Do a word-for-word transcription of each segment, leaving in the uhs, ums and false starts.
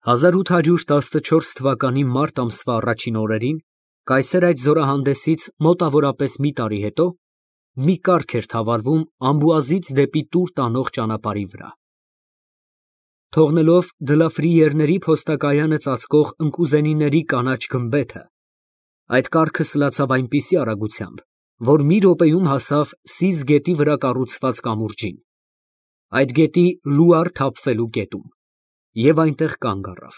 հազար ութ հարյուր տասնչորս թվականի մարտ ամսվա առաջին օրերին, կայսեր այդ զորահանդեսից մոտավորապես մի տարի հետո, մի կառք էր թավալվում Ամբուազից դեպի Տուր տանող ճանապարհի վրա։ Թողնելով դլաֆրիերների փոստակայանը ծածկող ընկուզենիների կանաչ գմբեթը, այդ կառքը սլացավ այնպիսի արագությամբ, որ մի րոպեում հասավ Սիզ գետի վրա կառուցված կամուրջին, այդ գետի լուար թափվելու կետում, և այնտեղ կանգ առավ։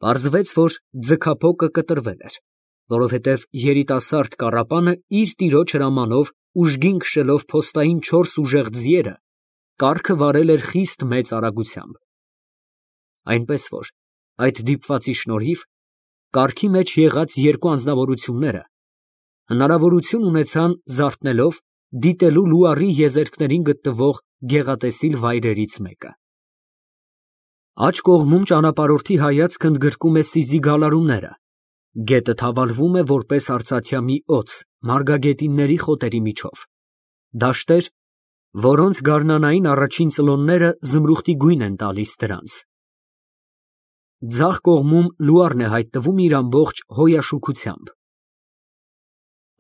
Պարզվեց, որ ձգափոկը կտրվել էր, որովհետև երիտասարդ կառապանը իր տիրոջ հրամանով ուժգին քշելով փոստային չորս ուժեղ ձիերը, կառքը վարել էր խիստ մեծ արագությամբ։ Այնպես որ այդ դիպվածի շնորհիվ կառքի մեջ եղած երկու անձնավորությունները հնարավորություն ունեցան զարթնելով դիտելու լուարի եզերքներին գտնվող գեղատեսիլ վայրերից մեկը։ Աջ կողմում ճանապարհորդի հայացքը ընդգրկում է Սիզի գալարումները, գետը թավալվում է որպես արծաթյա մի օձ մարգագետինների խոտերի միջով, դաշտեր, որոնց գարնանային առաջին ծլոնները զմրուխտի գույն են տալիս դրանց։ Ձախ կողմում լուարն է հայտնվում իր ամբողջ հոյաշուքությամբ։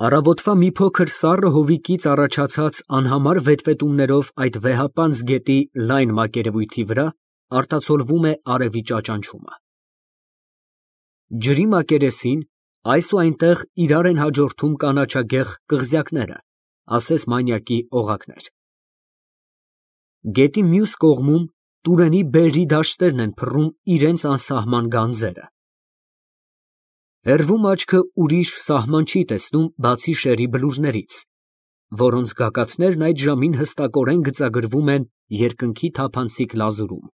Առավոտվա մի փոքր սառը հովիկից առաջացած անհամար վետվետումներով այդ վեհապանծ գետի լայն մակերևույթի վրա արտացոլվում է արևի ճաճանչումը։ Ջրի մակերեսին այս ու այնտեղ իրար են հաջորդում կանաչագեղ կղզյակները, ասես մանյակի օղակներ։ Գետի մյուս կողմում Տուրենի բերրի դաշտերն են փռում իրենց անսահման գանձերը։ Հեռվում աչքը ուրիշ սահման չի տեսնում, բացի շերի բլուրներից, որոնց գագաթներն այդ ժամին հստակորեն գծագրվում են երկնքի թափանցիկ լազուրում։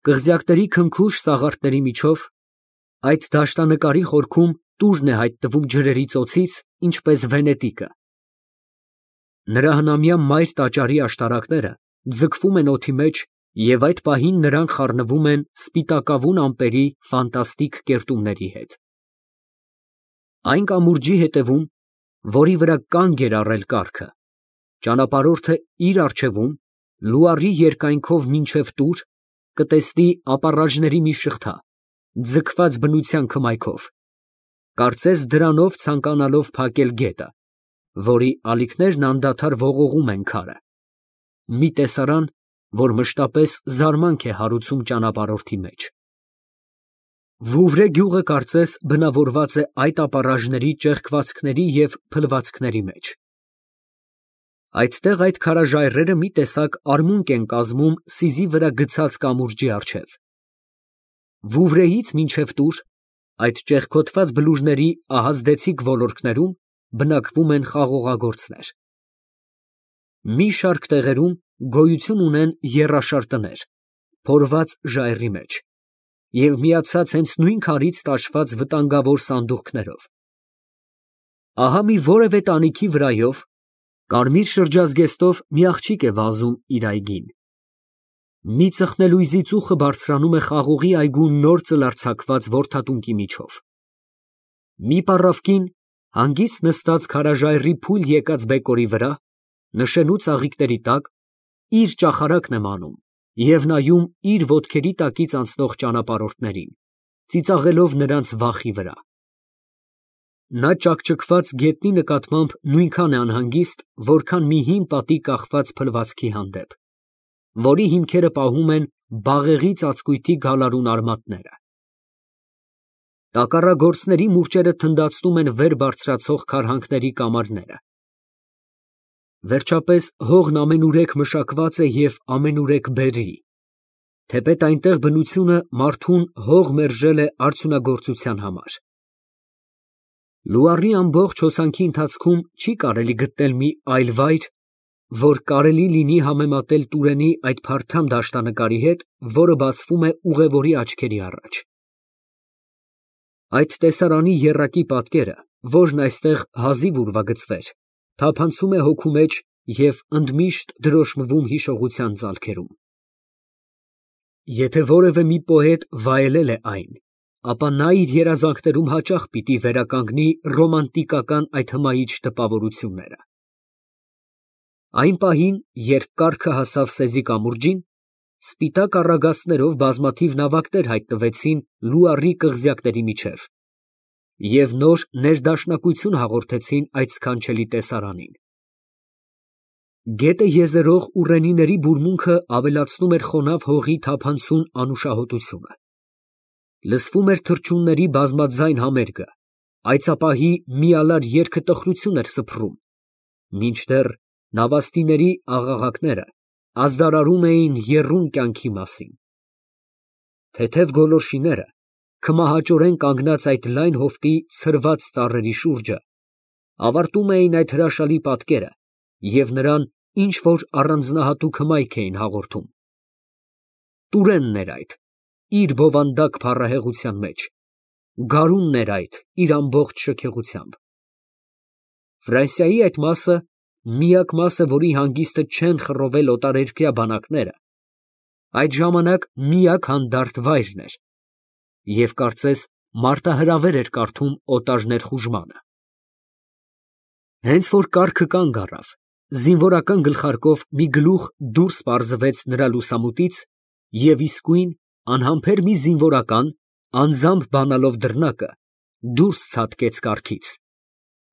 Կղզյակների քնքուշ սաղարթների միջով այդ դաշտանկարի խորքում Տուրն է հայտնվում ջրերի ծոցից, ինչպես Վենետիկը։ Նրա հնամյա մայր տաճարի աշտարակները ձգվում են օդի մեջ, և այդ պահին նրանք խառնվում են սպիտակավուն ամպերի ֆանտաստիկ կերտումների հետ։ Այն կամուրջի հետևում, որի վրա կանգ էր առել կառքը, ճանապարհորդը իր առջևում, լուարի երկայնքով մինչև Տուր, կտեսնի ապառաժների մի շղթա, ձգված բնության քմայքով, կարծես դրանով ցանկանալով փակել գետը, որի ալիքներն անդադար ողողում են քարը, մի տեսարան, որ մշտապես զարմանք է հարուցում ճանապարհորդի մեջ։ Վուվրե գյուղը կարծես բնավորված է այդ ապառաժների ճեղքվածքների և փլվածքների մեջ։ Այդտեղ այդ քարաժայռերը մի տեսակ արմունկ են կազմում Սիզի վրա գցած կամուրջի առջև։ Վուվրեից մինչև Տուր այդ ճեղքոտված բլուրների ահազդեցիկ ոլորտներում բնակվում են խաղողագործներ։ Մի շարք տեղերում գոյություն ունեն եռաշար տներ, փորված ժայռի մեջ և միացած հենց նույն քարից տաշված վտանգավոր սանդուղքներով։ Ահա մի որևէ տանիքի վրայով կարմիր շրջազգեստով մի աղջիկ է վազում իր այգին։ Մի ծխնելույզի ծուխը բարձրանում է խաղողի այգու նոր ծլարձակված որդատունկի միջով։ Մի պառավ կին, հանգիստ նստած քարաժայռի փուլ եկած բեկորի վրա, նշելու ծաղիկների տակ, իր ճախարակն է մանում և նայում իր ոտքերի տակից անցնող ճանապարհորդներին, ծիծաղելով նրանց վախի վրա։ Նա ճաքճքված գետնի նկատմամբ նույնքան է անհանգիստ, որքան մի հին պատի կախված փլվածքի հանդեպ, որի հիմքերը պահում են բաղեղի ծածկույթի գալարուն արմատները։ Տակառագործների մուրճերը թնդացնում են վեր բարձրացող քարհանքների կամարները։ Վերջապես հողն ամենուրեք մշակված է և ամենուրեք բերրի, թեպետ այնտեղ բնությունը մարդուն հող մերժել է արդյունագործության համար։ Լուարի ամբողջ հոսանքի ընթացքում չի կարելի գտնել մի այլ վայր, որ կարելի լինի համեմատել Տուրենի այդ փարթամ դաշտանկարի հետ, որը բացվում է ուղևորի աչքերի առաջ։ Այդ տեսարանի եռակի պատկերը, որն այստեղ հազիվ ուրվագծվեր, թափանցում է հոգու մեջ և ընդմիշտ դրոշմվում հիշողության ծալքերում։ Եթե որևէ մի պոետ վայելել է այն, ապա նա իր երազանքներում հաճախ պիտի վերականգնի ռոմանտիկական այդ հմայիչ տպավորությունները։ Այն պահին, երբ կառքը հասավ Սեզի կամուրջին, Սպիտակ առագաստներով բազմաթիվ նավակներ հայտնվեցին լուարի կղզյակների միջև և նոր ներդաշնակություն հաղորդեցին այդ սքանչելի տեսարանին։ Գետը եզերող ուռենիների բուրմունքը ավելացնում էր խոնավ հողի թափանցուն անուշահոտությունը։ Լսվում էր թռչունների բազմաձայն համերգը, այծապահի միալար երգը տխրություն էր սփռում, մինչդեռ նավաստիների աղաղակները ազդարարում էին եռուն կյանքի մասին։ Թեթև գոլորշիները, քմահաճորեն կանգնած այդ լայն հովտի ցրված ծառերի շուրջը, ավարտում էին այդ հրաշալի պատկերը և նրան ինչ֊որ առանձնահատուկ հմայք էին հաղորդում։ Տուրենն էր այդ, իր բովանդակ փառահեղության մեջ, գարունն էր այդ իր ամբողջ շքեղությամբ։ Ֆրանսիայի այդ մասը, միակ մասը, որի հանգիստը չեն խռովել օտարերկրյա բանակները, այդ ժամանակ միակ հանդարտ վայրն էր և կարծես մարտահրավեր էր կարդում օտար ներխուժմանը։ Հենց որ կառքը կանգ առավ, զինվորական գլխարկով մի գլուխ դուրս պարզվեց նրա լուսամուտից և իսկույն անհամբեր մի զինվորական, անձամբ բանալով դռնակը, դուրս ցատկեց կառքից,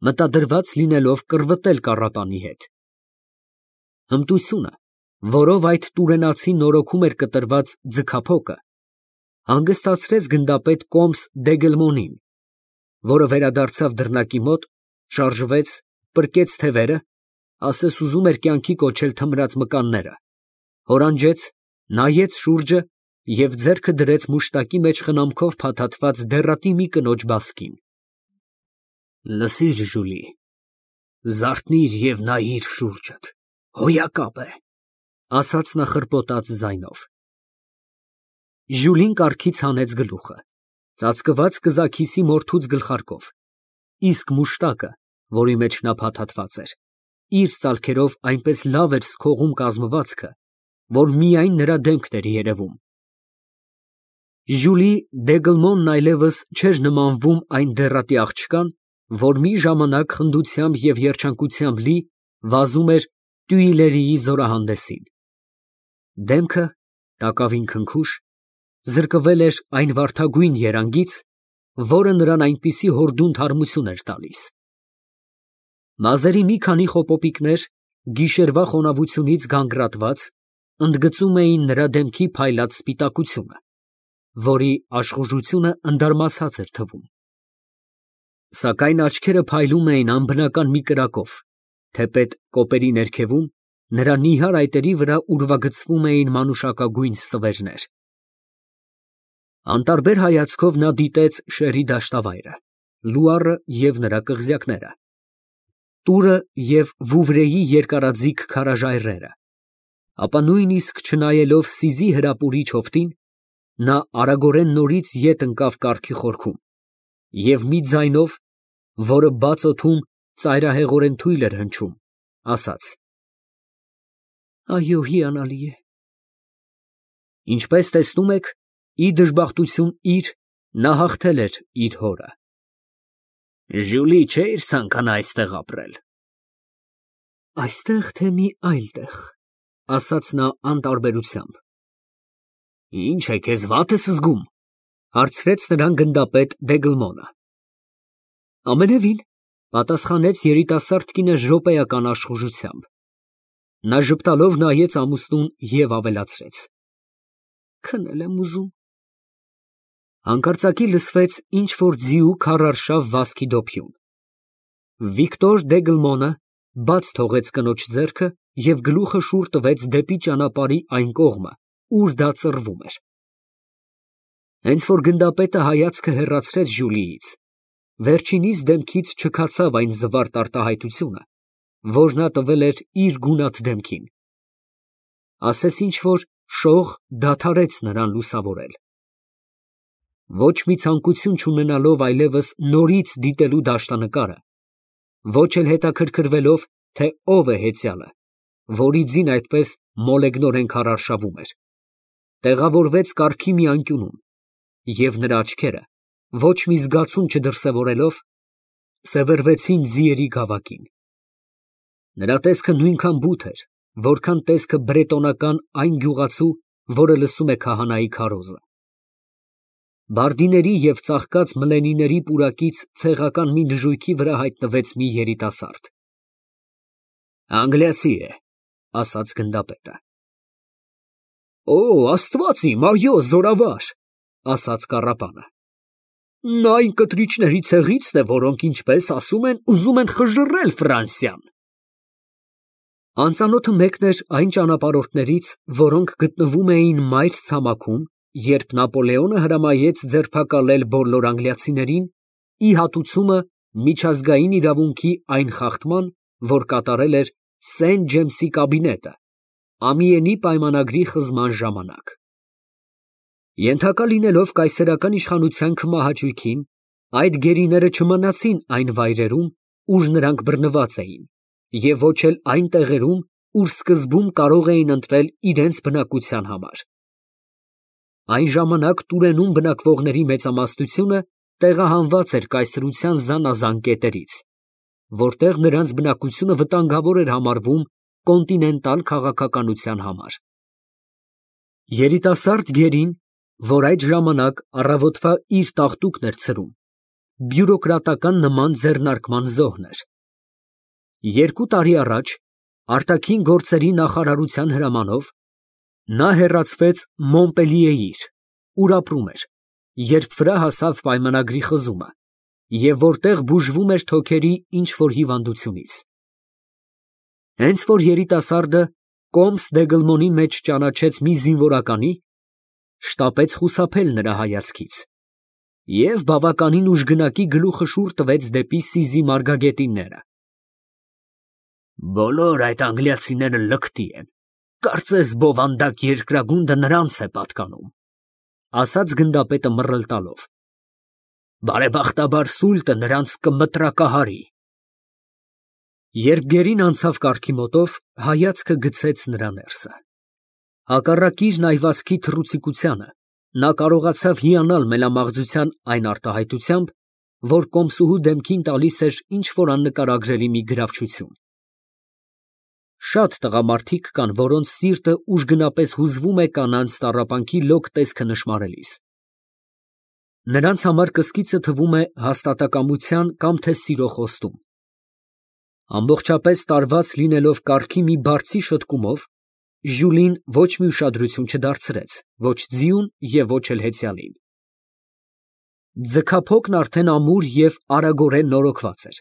մտադրված լինելով կռվտել կառապանի հետ։ Հմտությունը, որով այդ տուրենացին նորոգում էր կտրված ձգափոկը, հանգստացրեց գնդապետ Կոմս Դեգելմոնին, որը վերադարձավ դռնակի մոտ, շարժվեց, պրկեց թևերը, ասես ուզում էր կյանքի կոչել թմրած մկանները, հորանջեց, նայեց շուրջը և ձեռքը դրեց մուշտակի մեջ խնամքով փաթաթված դեռատի մի կնոջ բասկին։ Լսիր, Ժուլի, զարթնիր և նայիր շուրջդ, հոյակապ է, ասաց նա խռպոտած ձայնով։ Ժուլին կառքից հանեց գլուխը, ծածկված կզաքիսի մորթուց գլխարկով, իսկ մուշտակը, որի մեջ նա փաթաթված էր, իր ծալքերով այնպես լավ էր սքողում կազմվածքը, որ միայն նրա դեմքն էր երևում։ Ժուլի Դեգլմոնն այլևս չէր նմանվում այն դեռատի աղջկան, որ մի ժամանակ խնդությամբ և երջանկությամբ լի վազում էր Տյուիլերիի զորահանդեսին։ Դեմքը, տակավին քնքուշ, զրկվել էր այն վարդագույն երանգից, որը նրան այնպիսի հորդուն թարմություն էր տալիս։ Մազերի մի քանի խոպոպիկներ, գիշերվա խոնավությունից գանգրատված, ընդգծում էին նրա դեմքի փայլած սպիտակությունը, որի աշխուժությունը ընդարմացած էր թվում։ Սակայն աչքերը փայլում էին անբնական մի կրակով, թեպետ կոպերի ներքևում, նրա նիհար այտերի վրա ուրվագծվում էին մանուշակագույն ստվերներ։ Անտարբեր հայացքով նա դիտեց շերի դաշտավայրը, լուարը և նրա կղզյակները, տուրը և Վուվրեի երկարաձիգ քարաժայռերը, ապա նույնիսկ չնայելով Սիզի հրապուրիչ հովտին, նա արագորեն նորից ետ ընկավ կառքի խորքում և մի ձայնով, որը բաց օդում ծայրահեղորեն թույլ էր հնչում, ասաց. Այո, հիանալի է։ Ինչպես տեսնում եք, ի դժբախտություն իր, նա հաղթել էր իր հորը։ Ժուլի չէիր ցանկանա այստեղ ապրել։ Այստեղ, թե մի այլ տեղ, ասաց նա անտարբերությամբ։ Ինչ է, քեզ վատ ես զգում, հարցրեց նրան գնդապետ Դեգլմոնը։ Ամենևին, պատասխանեց երիտասարդ կինը րոպեական աշխուժությամբ։ Նա ժպտալով նայեց ամուսնուն և ավելացրեց. Քնել եմ ուզում։ Հանկարծակի լսվեց ինչ֊որ ձիու քարարշավ վազքի դոփյուն։ Վիկտոր Դեգլմոնը բաց թողեց կնոջ ձեռքը և գլուխը շուռ տվեց դեպի ճանապարհի այն կողմը, ուր դա ծռվում էր։ Հենց որ գնդապետը հայացքը հեռացրեց Ժուլիից, վերջինիս դեմքից չքացավ այն զվարթ արտահայտությունը, որ նա տվել էր իր գունատ դեմքին։ Ասես ինչ֊որ շող դադարեց նրան լուսավորել։ Ոչ մի ցանկություն չունենալով այլևս նորից դիտելու դաշտանկարը, ոչ էլ հետաքրքրվելով, թե ով է հեծյալը, որի ձին այդպես մոլեգնորեն քարարշավում էր, տեղավորվեց կառքի մի անկյունում, և նրա աչքերը, ոչ մի զգացում չդրսևորելով, սևեռվեցին ձիերի գավակին։ Նրա տեսքը նույնքան բութ էր, որքան տեսքը բրետոնական այն գյուղացու, որը լսում է քահանայի քարոզը։ Բարդիների և ծաղկած մլենիների պուրակից ցեղական մի նժույգի վրա հայտնվեց մի երիտասարդ։ Անգլիացի է, ասաց գնդապետը։ Օ, Աստված իմ, այո, զորավար, ասաց կառապանը։ Նա այն կտրիչների ցեղիցն է, որոնք, ինչպես ասում են, ուզում են խժռել Ֆրանսիան։ Անծանոթը մեկն էր այն ճանապարհորդներից, որոնք գտնվում էին մայր ցամաքում, երբ Նապոլեոնը հրամայեց ձերբակալել բոլոր անգլիացիներին, ի հատուցումը միջազգային իրավունքի այն խախտման, որ կատարել էր Սենտ Ջեյմսի կաբինետը, Ամիենի պայմանագրի խզման ժամանակ։ Ենթակա լինելով կայսերական իշխանության քմահաճույքին, այդ գերիները չմնացին այն վայրերում, ուր նրանք բռնված էին, և ոչ էլ այն տեղերում, ուր սկզբում կարող էին ընտրել իրենց բնակության համար։ Այն ժամանակ Տուրենում բնակվողների մեծամասնությունը տեղահանված էր կայսրության զանազան կետերից, որտեղ նրանց բնակությունը վտանգավոր էր համարվում կոնտինենտալ քաղաքականության համար։ Երիտասարդ գերին, որ այդ ժամանակ առավոտվա իր տաղտուկն էր ցրում, բյուրոկրատական նման ձեռնարկման զոհն էր։ Երկու տարի առաջ, արտաքին գործերի նախարարության հրամանով, նա հեռացվեց Մոնպելիեիր, ուր ապրում էր, երբ վրա հասավ պայմանագրի խզումը, և որտեղ բուժվում էր թոքերի ինչ-որ հիվանդությունից։ Հենց որ երիտասարդը Կոմս դե Գլմոնի մեջ ճանաչեց մի զինվորականի, շտապեց խուսափել նրա հայացքից և բավականին ուժգնակի գլուխը շուռ տվեց դեպի Սիզի մարգագետինները։ Բոլոր այդ անգլիացիները լկտի են, կարծես բովանդակ երկրագունդը նրանց է պատկանում, ասաց գնդապետը մռլ տալով։ Բարեբախտաբար սուլտը նրանց կմտրակահարի։ Երբ գերին անցավ կառքի մոտով, հայացքը գցեց նրա ներսը։ Հակառակ իր նայվածքի թռուցիկությանը, նա կարողացավ հիանալ մելամաղձության այն արտահայտությամբ, որ կոմսուհու դեմքին տալիս էր ինչ-որ աննկարագրելի մի գրավչություն։ Շատ տղամարդիկ կան, որոնց սիրտը ուժգնապես հուզվում է կանանց տառապանքի լոկ տեսքը նշմարելիս։ Նրանց համար կսկիծը թվում է հաստատակամության կամ թե սիրո խոստում։ Ամբողջապես տարված լինելով կառքի մի բարձի շտկումով, Ժյուլին ոչ մի ուշադրություն չդարձրեց ոչ ձիուն և ոչ էլ հեծյալին։ Ձգափոկն արդեն ամուր և արագորեն նորոգված էր։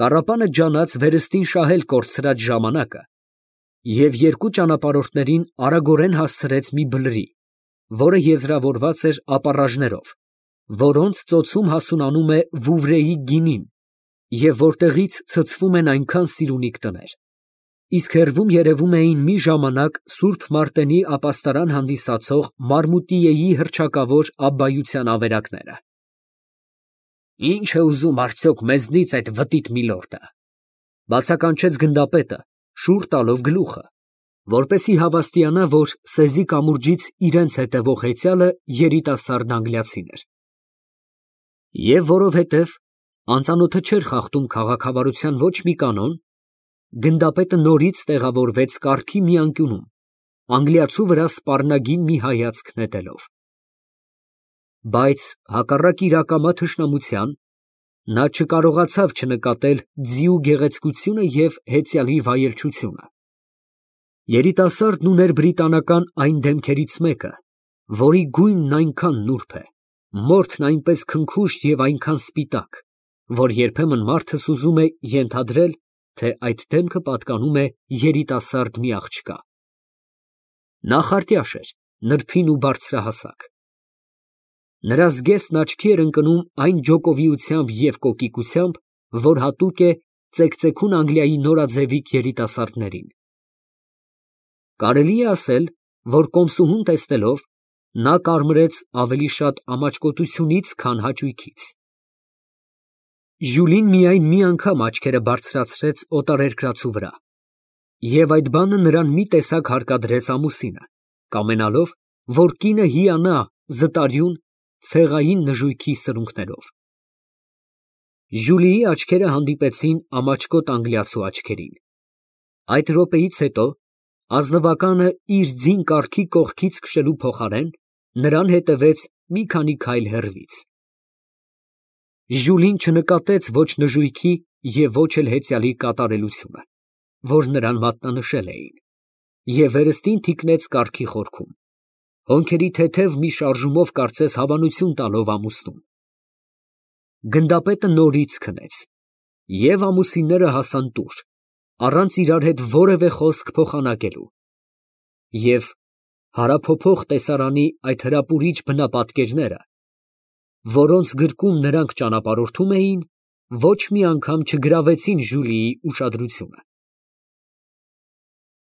Կառապանը ջանաց վերստին շահել կորցրած ժամանակը և երկու ճանապարհորդներին արագորեն հասցրեց մի բլրի, որը եզրավորված էր ապառաժներով, որոնց ծոցում հասունանում է Վուվրեի գինին և որտեղից ցցվում են այնքան սիրունիկ տներ, իսկ հեռվում երևում էին մի ժամանակ Սուրբ Մարտենի ապաստարան հանդիսացող Մարմուտիեի հռչակավոր աբբայության ավերակները։ Ի՞նչ է ուզում արդյոք մեզնից այդ վտիտ միլորդը, բացականչեց գնդապետը, շուռ տալով գլուխը, որպեսզի հավաստիանա, որ սեզի կամուրջից իրենց հետևող հեծյալը երիտասարդ անգլիացին էր։ Եվ որովհետև անծանոթը չէր խախտում քաղաքավարության ոչ մի կանոն, գնդապետը նորից տեղավորվեց կառքի մի անկյունում, անգլիացու վրա սպառնագին մի հայացք նետելով։ Բայց հակառակ իր ակամա թշնամության, նա չկարողացավ չնկատել ձիու գեղեցկությունը և հեծյալի վայելչությունը։ Երիտասարդն ուներ բրիտանական այն դեմքերից մեկը, որի գույնն այնքան նուրբ է, մորթն այնպես քնքուշտ և այնքան սպիտակ, որ երբեմն մարդս ուզում է ենթադրել, թե այդ դեմքը պատկանում է երիտասարդ մի աղջկա։ Նա խարտյաշ էր, նրբին ու բարձրահասակ։ Նրա զգեստն աչքի էր ընկնում այն ջոկովիությամբ և կոկիկությամբ, որ հատուկ է ծեկծեկուն Անգլիայի նորաձևիկ երիտասարդներին։ Կարելի է ասել, որ կոմսուհուն տեսնելով, նա կարմրեց ավելի շատ ամաչկոտությունից, քան հաճույքից։ Ժյուլին միայն մի անգամ աչքերը բարձրացրեց օտարերկրացու վրա, և այդ բանը նրան մի տեսակ հարկադրեց ամուսինը, կամենալով, որ կինը հիանա զտարյուն, ցեղային նժույգի սրունքներով։ Ժյուլիի աչքերը հանդիպեցին ամաչկոտ անգլիացու աչքերին։ Այդ րոպեից հետո Ազնվականը իր ձին կառքի կողքից քշելու փոխարեն նրան հետևեց մի քանի քայլ հեռվից։ Ժյուլին չնկատեց ոչ նժույգի և ոչ էլ հեծյալի կատարելությունը, որ նրան մատնանշել էին, և վերստին թիկնեց կառքի խորքում, հոնքերի թեթև մի շարժումով կարծես հավանություն տալով ամուսնուն։ Գնդապետը նորից քնեց, և ամուսինները հասան տուր, առանց իրար հետ որևէ խոսք փոխանակելու, և հարափոփող տեսարանի այդ հրապուրիչ բնապատկերները, որոնց գրկում նրանք ճանապարհորդում էին, ոչ մի անգամ չգրավեցին Ժյուլիի ուշադրությունը։